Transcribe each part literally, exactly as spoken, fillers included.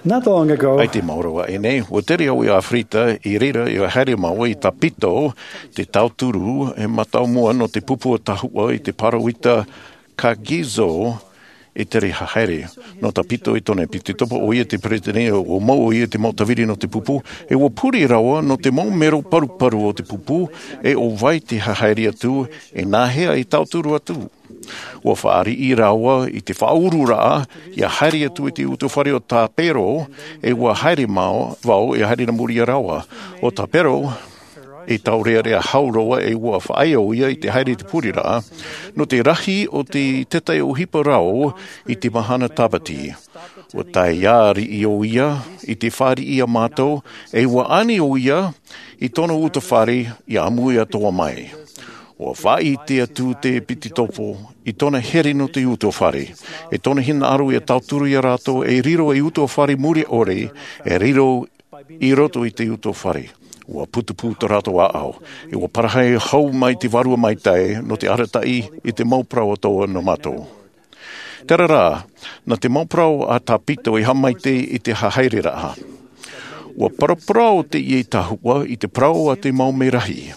Not long ago, I te maoro aʻe nei, ua tere au i Aferika i reira i haere mau i Tāpito, te tauturu e mātāmua nō te pupu o Tahua i te pāroita Kagizo e tere haere. Nō Tāpito i tōna piti topa, ʻo ia te peresideni, ua mau ʻo ia te mau tāviri nō te pupu, e ua pure rawa nō te mau mero paruparu o te pupu, e ʻo vai te haere atu, e nāhea e tauturu atu. Ua fāriʻi rāua i te faʻaururaʻa, ʻia haere atu i te utuafare o Tāpero, e ua haere mau, vau, ʻia haere nā muri iā rāua. ʻO Tāpero, e taurearea hau roa e ua faʻaea ʻo ia i te haere i te pureraʻa, nō te rahi o te taiʻo ʻohipa rau i te mahana Tāpati. Ua tae ā riʻi ʻo ia i te fāriʻi iā mātou, e ua ani ʻo ia i tōna utuafare ʻia ʻāmui atoʻa mai. Ua faʻaʻite atu te piti topa i tōna here nō te utuafare, e tōna hinaʻaro ʻia tauturu iā rātou e riro ei utuafare mure ʻore, e riro i roto i te utuafare. Ua putupū tō rātou ʻāʻau, e ua parahi hau mai te Vārua Maitaʻi nō te arataʻi i te mau parau atoʻa nō mātou. Terā rā, nā te mau parau a Tāpito i haʻamaitaʻi i te haereraʻa. Ua paraparau teie tahua i te parau a te mau merahi.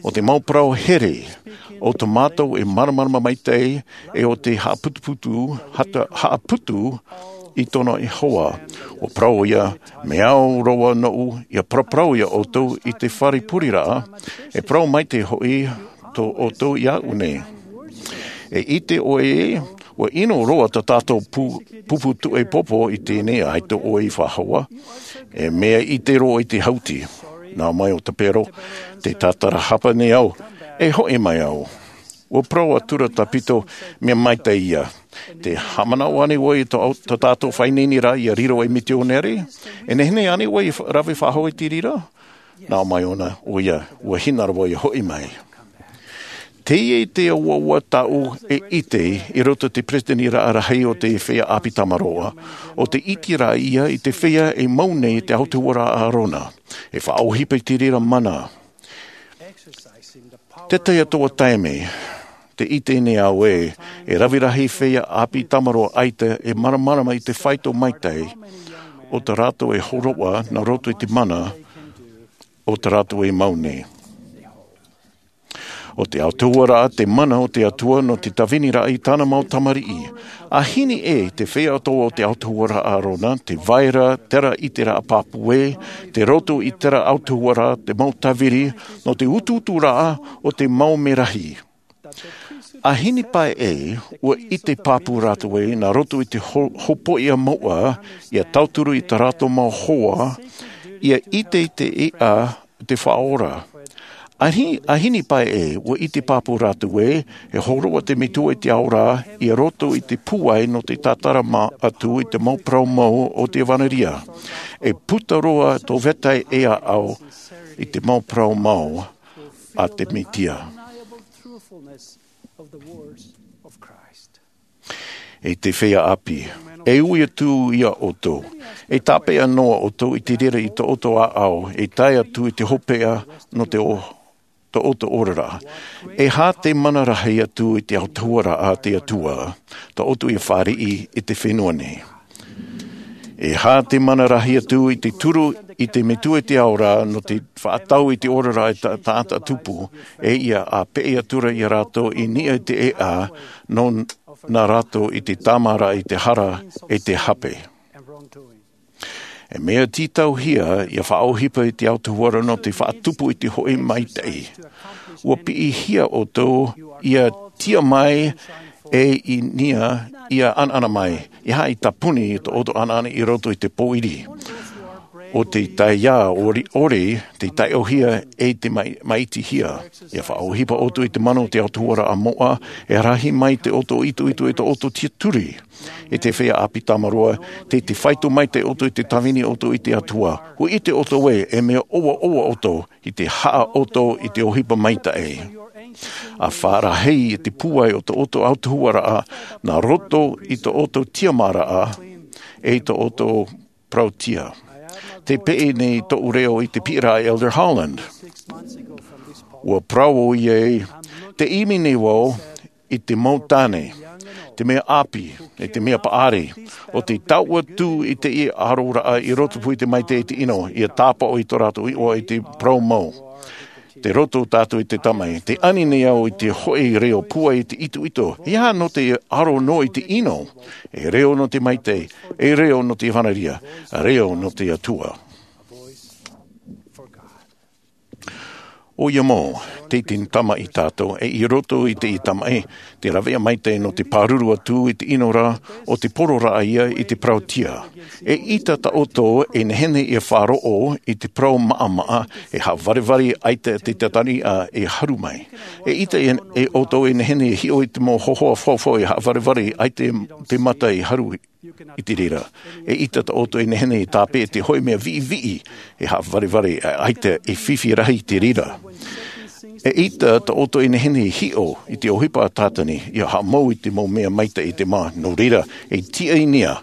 ʻO te mau parau here, ʻo tō mātou e māramarama maitaʻi, e ʻo te haʻaputuputu, hata-, haʻaputu i tōna hoa. Ua parau ia, mea au roa nōʻu, ʻia paraparau iā ʻoutou i te fare pureraʻa, e parau maitaʻi hoʻi tō ʻoutou iāʻu nei. E ʻite ʻoe, ua ʻino roa tā tātou pu-, pupu tuʻepopo i teie nei, ʻaita ʻoe i faʻahou. E mea ʻite roa i te hauti. Nā mai ʻo Tāpero, tē tātarahapa nei au, e hoʻi mai au. Ua parau atura Tāpito, mea maitaʻi ia. Tē haʻamanaʻo ānei ʻoe i tō, tō tātou faʻaineineraʻa ʻia riro ei mitionare? E nehenehe ānei ʻoe i fa-, rave faʻahou i te reira? Nā mai ʻōna, ʻo ia, ua hinaʻaro ʻoia hoʻi mai. Teie te ʻauaʻau tāʻu e ʻite i roto i te peresideni raʻa rahi o te feiā ʻāpī Tamaroa, ʻo te ʻiteraʻa ia i te feiā e mau nei te autahuʻaraʻa Arona, e faʻaʻohipa i te reira mana. Te tahi atoʻa taime, tē ʻite nei au ē, e rave rahi feiā ʻāpī Tamaroa ʻaita e māramarama i te faito maitaʻi o tā rātou e hōroʻa nā roto i te mana o tā rātou e mau nei. ʻO te autahuʻaraʻa te mana o te Atua nō te tāviniraʻa i tāna mau tamariʻi. ʻA hini ʻē te feiā atoʻa o te autahuʻaraʻa Arona, tē vai ra terā ʻiteraʻa pāpū ē, tei roto i terā autahuʻaraʻa te mau tāviri nō te utuuturaʻa o te mau merahi. ʻA hini paʻi ē, ua ʻite pāpū rātou ē, nā roto i te ho-, hopoiʻa mouʻa, ʻia tauturu i tā rātou mau hoa, ʻia ʻite i te ʻēʻa, te Faʻaora. ʻA hi-, ʻa hini paʻi ē, ua ʻite pāpū rātou ē, e hōroʻa te Metua i te ao ra, i roto i te pūai nō te tātarahapa atu i te mau parau mau o te ʻevanelia. E puta roa tō vetahi e ʻāʻau i te mau parau mau a te Mesia. E te feiā ʻāpī, e ui atu iā ʻoutou, e tāpeʻa noa ʻoutou i te reira i tō ʻoutou ʻāʻau, e tae atu i te hopeʻa nō te o-, tō ʻoutou oraraʻa. E aha te mana rahi atu i te autahuʻaraʻa a te Atua, tō ʻoutou ʻia fāriʻi i te fenua nei? E aha te mana rahi atu i te turu i te Metua i te ao ra nō te faʻatau i te oraraʻa i ta-, taʻata tupu, e ʻia ʻāpeʻe atura iā rātou i niʻa i te ʻēʻa, nō nā rātou i te tāmāraʻa i te hara e te hape. E mea tītauhia ʻia faʻaʻohipa i te autahuʻaraʻa nō te faʻatupu i te hoʻi maitaʻi. Ua piʻihia ʻoutou ʻia tiʻa mai e i niʻa ʻia ʻanaʻana mai, e aha i tāpuni i tō ʻoutou ʻanaʻana i roto i te pōiri. ʻO te taiā ʻori, ʻore, te taiʻohia e te mai-, maitihia. ʻIa faʻaʻohipa ʻoutou i te mana o te autahuʻaraʻa moʻa, e rahi mai te ʻoutou itoito i tō ʻoutou tiʻaturi. E te feiā ʻāpī Tamaroa, tē, tē faito maitaʻi ʻoutou i te tāvini ʻoutou i te Atua. ʻUa ʻite ʻoutou ē, e mea ʻoaʻoa ʻoutou i te haʻa ʻoutou i te ʻohipa maitaʻi. ʻA fārahei i te pūai o tō ʻoutou autahuʻaraʻa, nā roto i tō ʻoutou tiʻamāraʻa, e i tō ʻoutou parauʻtiʻa. Tē peʻe nei tōʻu reo i te piʻiraʻa a Elder Holland. ʻUa parau ʻoia ē, tē ʻimi nei vau, i te mau tāne, te mea ʻāpī, e te mea paʻari, ʻo te taʻua tū i te ʻaroraʻa i roto pū i te maitaʻi i te ʻino, ia tāpaʻo i tō rātou iʻoa i te parau mau. Te roto tātou i te tamaʻi, te ani nei au i te hoʻi reo pūai i te itoito, e aha nō te aro noa i te ʻino, e reo nō te maitaʻi, e reo nō te ʻevanelia, reo nō te Atua. ʻO ia mau, te tini tamaʻi tātou, e i roto i te tamaʻi, te rāveʻa maitaʻi nō te pāruru atu i te ʻino ra, ʻo te poro rā ia i te parautia. E ʻita tā ʻoutou e nehenehe ia faʻaroʻo i te parau maʻamaʻa, e haʻavarevare ʻaita te tatariʻa e haru mai. E ʻita e, e ʻoutou e nehenehe ia hiʻo i te mau hōhoʻa faufau e haʻavarevare ʻaita te mata e haru i te reira. E ʻita tā ʻoutou e nehenehe ia tāpeʻa te hoʻi mea viʻiviʻi e haʻavarevare ʻaita e fifi rahi i te reira. E ʻita tā ʻoutou e nehenehe ia hiʻo i te ʻohipa a Tātani, ia haʻamau i te mau mea maitaʻi i te mā. Nō reira, e tiʻa i niʻa,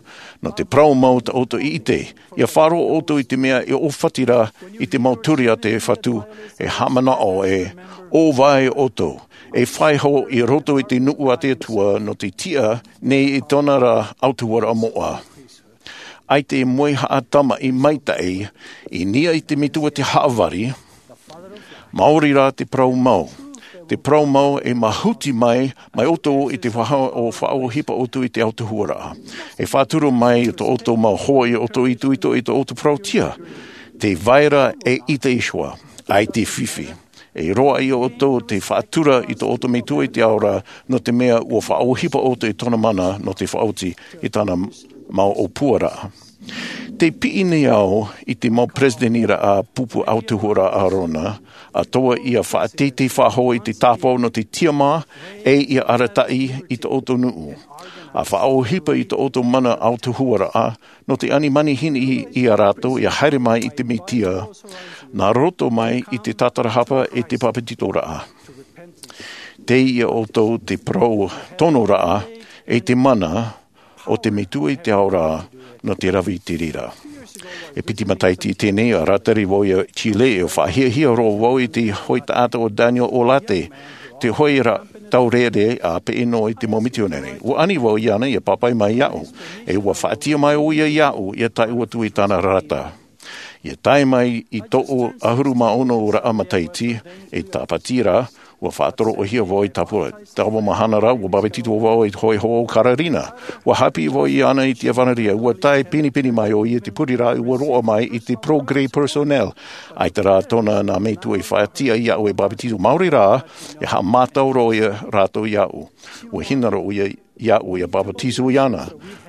nō te parau mau tā ʻoutou i ʻite, ia faʻaroʻo ʻoutou i te mea e ʻōfati ra i te mau ture a te Fatu, e haʻamanaʻo e ʻōvae ʻoutou, e fāiho i roto i te nuʻu a te Atua nō te tiʻa nei i tōna ra ʻautuharaʻa moʻa. ʻAita e moe haʻatamaʻi maitaʻi i niʻa i te metua te haʻavari, maori rā te parau mau. Te parau mau e mahuti mai, mai ʻoutou i te faʻa-, ʻo faʻaʻohipa ʻoutou i te ʻautuharaʻa. E faʻaturu mai i tō ʻoutou mau hoa i ʻoutou itoito i tō ʻoutou parautia. Te vai ra e ʻita iho ā, ʻaita e fifi. E roaʻa ia ʻoutou te faʻatura i tō ʻoutou metua i te ao ra, nō te mea ʻua faʻaʻohipa ʻoutou i tōna mana nō te faʻaoti i tāna mau ʻōpuaraʻa. Tē piʻi nei au i te mau peresideni ra a pupu ʻautuharaʻa ʻĀrona, ʻa tō ia faʻateitei faʻahou i te tāpaʻo nō te tiʻamā, e ia arataʻi i tō ʻoutou nuʻu. ʻA faʻaʻohipa i tō ʻoutou mana ʻautuharaʻa, nō te ani manihini ia rātou ia haere mai i te Mesia, nā roto mai i te tatarahapa e te papetitoraʻa. Tei ia ʻoutou te parau tonoraʻa e te mana o te metua i te ao ra nō te rave i te reira. E piti matahiti teie nei, ʻa rātari vau i Chile, e faʻahiahia roa vau i te hoʻi taʻata ʻo Daniel Olarte, te hoʻi ra taurere a peʻe noa i te mau mitionare. ʻUa ani vau iāna ia pāpaʻi mai iāʻu, e ʻua faʻatiʻa mai ʻoia iāʻu ia tae atu i tāna rata. Ia tae mai i tōʻu ʻahuru mā ono raʻa matahiti, e tāpati ra, ʻua faʻatoroʻohia vau i tāpura. Taua mahana ra, ʻua bāpetizo vau i te hōʻē hoa o Kararina. ʻUa haʻapiʻi vau iāna i te ʻevanelia, ʻua tae pinepine mai ʻoia i te pureraʻa, ʻua roaʻa mai i te progrès personnel. ʻAita rā tōna nā metua i faʻatiʻa iāʻu e bāpetizo. Maori rā, e haʻamātau roa ia rātou iāʻu. ʻUa hinaʻaro ʻoia iāʻu ia bāpetizo iāna.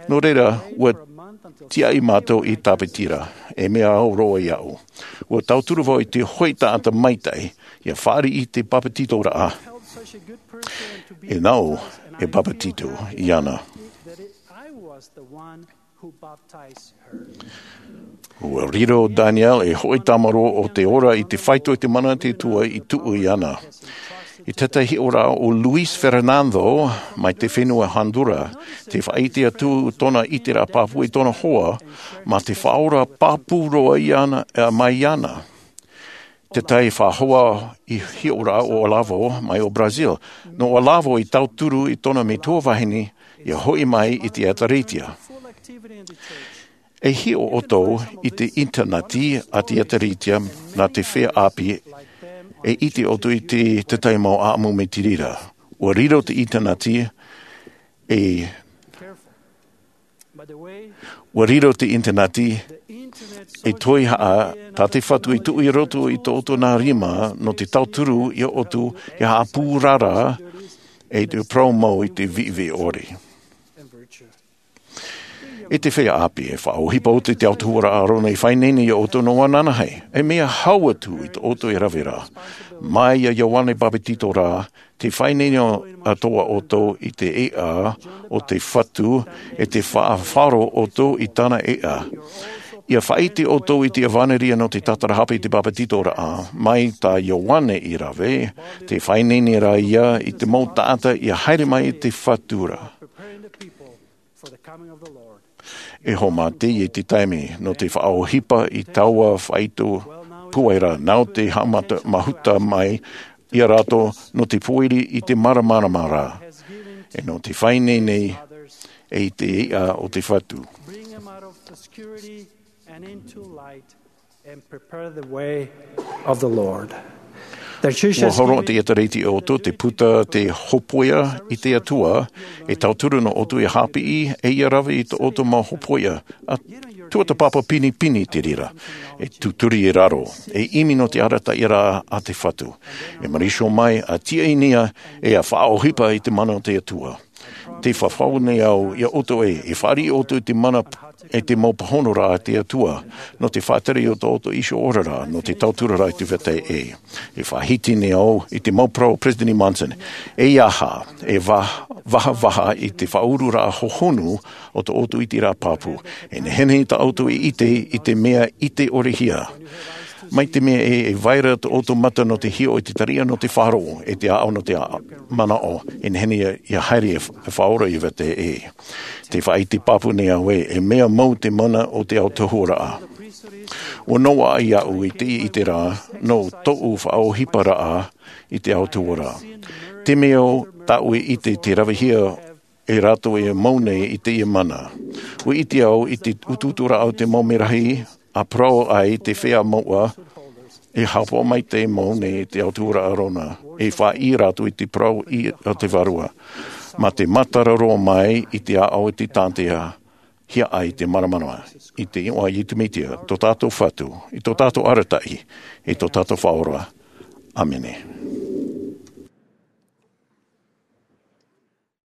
Nō reira, ʻua tiaʻi mātou i tāpati ra, e mea au roa iāʻu. ʻUa tauturu vau i te hoʻi taʻata maitaʻi, ia fāriʻi i te bāpetizoraʻa. E nāʻu e bāpetizo iāna. ʻUa riro Daniel ei hoʻi tāmarō o te ora i te faito i te mana a te Atua i tuʻu iāna. I te tahi hiʻoraʻa o Luis Fernando mai te fenua Honduras, tē faʻaʻite atu tōna ʻiteraʻa pāpū i tōna hoa, mā te Faʻaora pāpū roa iāna, ā, mai iāna. Te tahi faʻahoa hiʻoraʻa o Olavo mai o Brazil. Nō Olavo i tauturu i tōna metua vahine ia hoʻi mai i te ʻĒtārētia. E hiʻo ʻoutou i te ʻinitaneti a te ʻĒtārētia nā te feiā ʻāpī, e ʻite ʻoutou i te, te tahi mau ʻāʻamu mai te reira. ʻUa riro te ʻinitaneti, e, ʻua riro te ʻinitaneti, e toihaʻa tā te Fatu i tuʻu i roto i tō ʻoutou nā rima nō te tauturu ia ʻoutou ia haʻapūrara, e te parau mau i te viʻiviʻi ʻore. E te feiā ʻāpī, e faʻaʻohipa ʻoutou i te ʻautuharaʻa a ʻĀrona i faʻaineine ia ʻoutou nō ananahi. E mea hau atu i tō ʻoutou e rave ra. Mai iā Ioane Bāpetizo rā, tē faʻaineine atoʻa ʻoutou i te ʻēʻa o te Fatu, e tē faʻafaro ʻoutou i tāna ʻēʻa. Ia faʻaʻite ʻoutou i te ʻevanelia nō te tatarahapa i te bāpetizoraʻa. Mai tā Ioane i rave, tē faʻaineine ra ia i te mau taʻata ia haere mai i te Fatu ra. E haʻamata i te taime nō te faʻaʻohipa i taua faito pūai ra, nāʻu te haʻamata, mahuta mai ia rātou nō te pōiri i te māramarama ra, e nō te faʻaineine e i te iʻa o te Fatu. Ua horo te ʻētārētia o ʻoutou te puta te hōpoiʻa i te Atua, e tauturu nō ʻoutou e hāpiʻi e ia rave i tō ʻoutou mau hōpoiʻa. A tuatāpapa pinepine te reira, e tūturi i raro, e ʻimi nō te arataʻiraʻa a te Fatu. E marīsio mai a tiaʻi nei e a faʻaʻohipa i te mana o te Atua. Te fafau nei au ia ʻoutou e e fāriʻi ʻoutou i te mana e te mau pāhonoraʻa a te Atua, nō te faʻatere i tō ʻoutou iho oraraʻa nō te tauturu ra i te vetahi ʻē. E faʻahiti nei au i te mau parau o Peresideni Monson, e aha e vahavaha i te faʻaururaʻa hohonu o tō ʻoutou ʻiteraʻa pāpū. E nehenehe tā ʻoutou e ʻite i te mea ʻite ʻore hia. Mai te mea e e vai ra tō ʻoutou mata nō te hiʻo i te tariʻa nō te faʻaroʻo e te ʻaʻau nō te manaʻo, e nehenehe ia haere e faʻaora i vetahi ʻē. Te faʻaʻite pāpū nei au ē, e mea mau te mana o te autahuʻaraʻa. Ua noaʻa iaʻu i te ʻite ra nō tōʻu faʻaʻohiparaʻa i te autahuʻaraʻa. Te mea o tāʻu e ʻite te ravehia e rātou e mau nei i teie mana. Ua ʻite au i te utuuturaʻa o te mau merahi a parau ai te feiā mauʻa, e hāpaʻo mai te mau nei te autahuʻaraʻa rona, e faʻaʻī rātou i te parau i a te vārua, mā te mātaro roa mai i te ʻaʻau i te tātea hia ai te māramarama. I te iʻoa a iesu mesia, tō tātou Fatu, i tō tātou arataʻi, i tō tātou faʻaora. Āmene.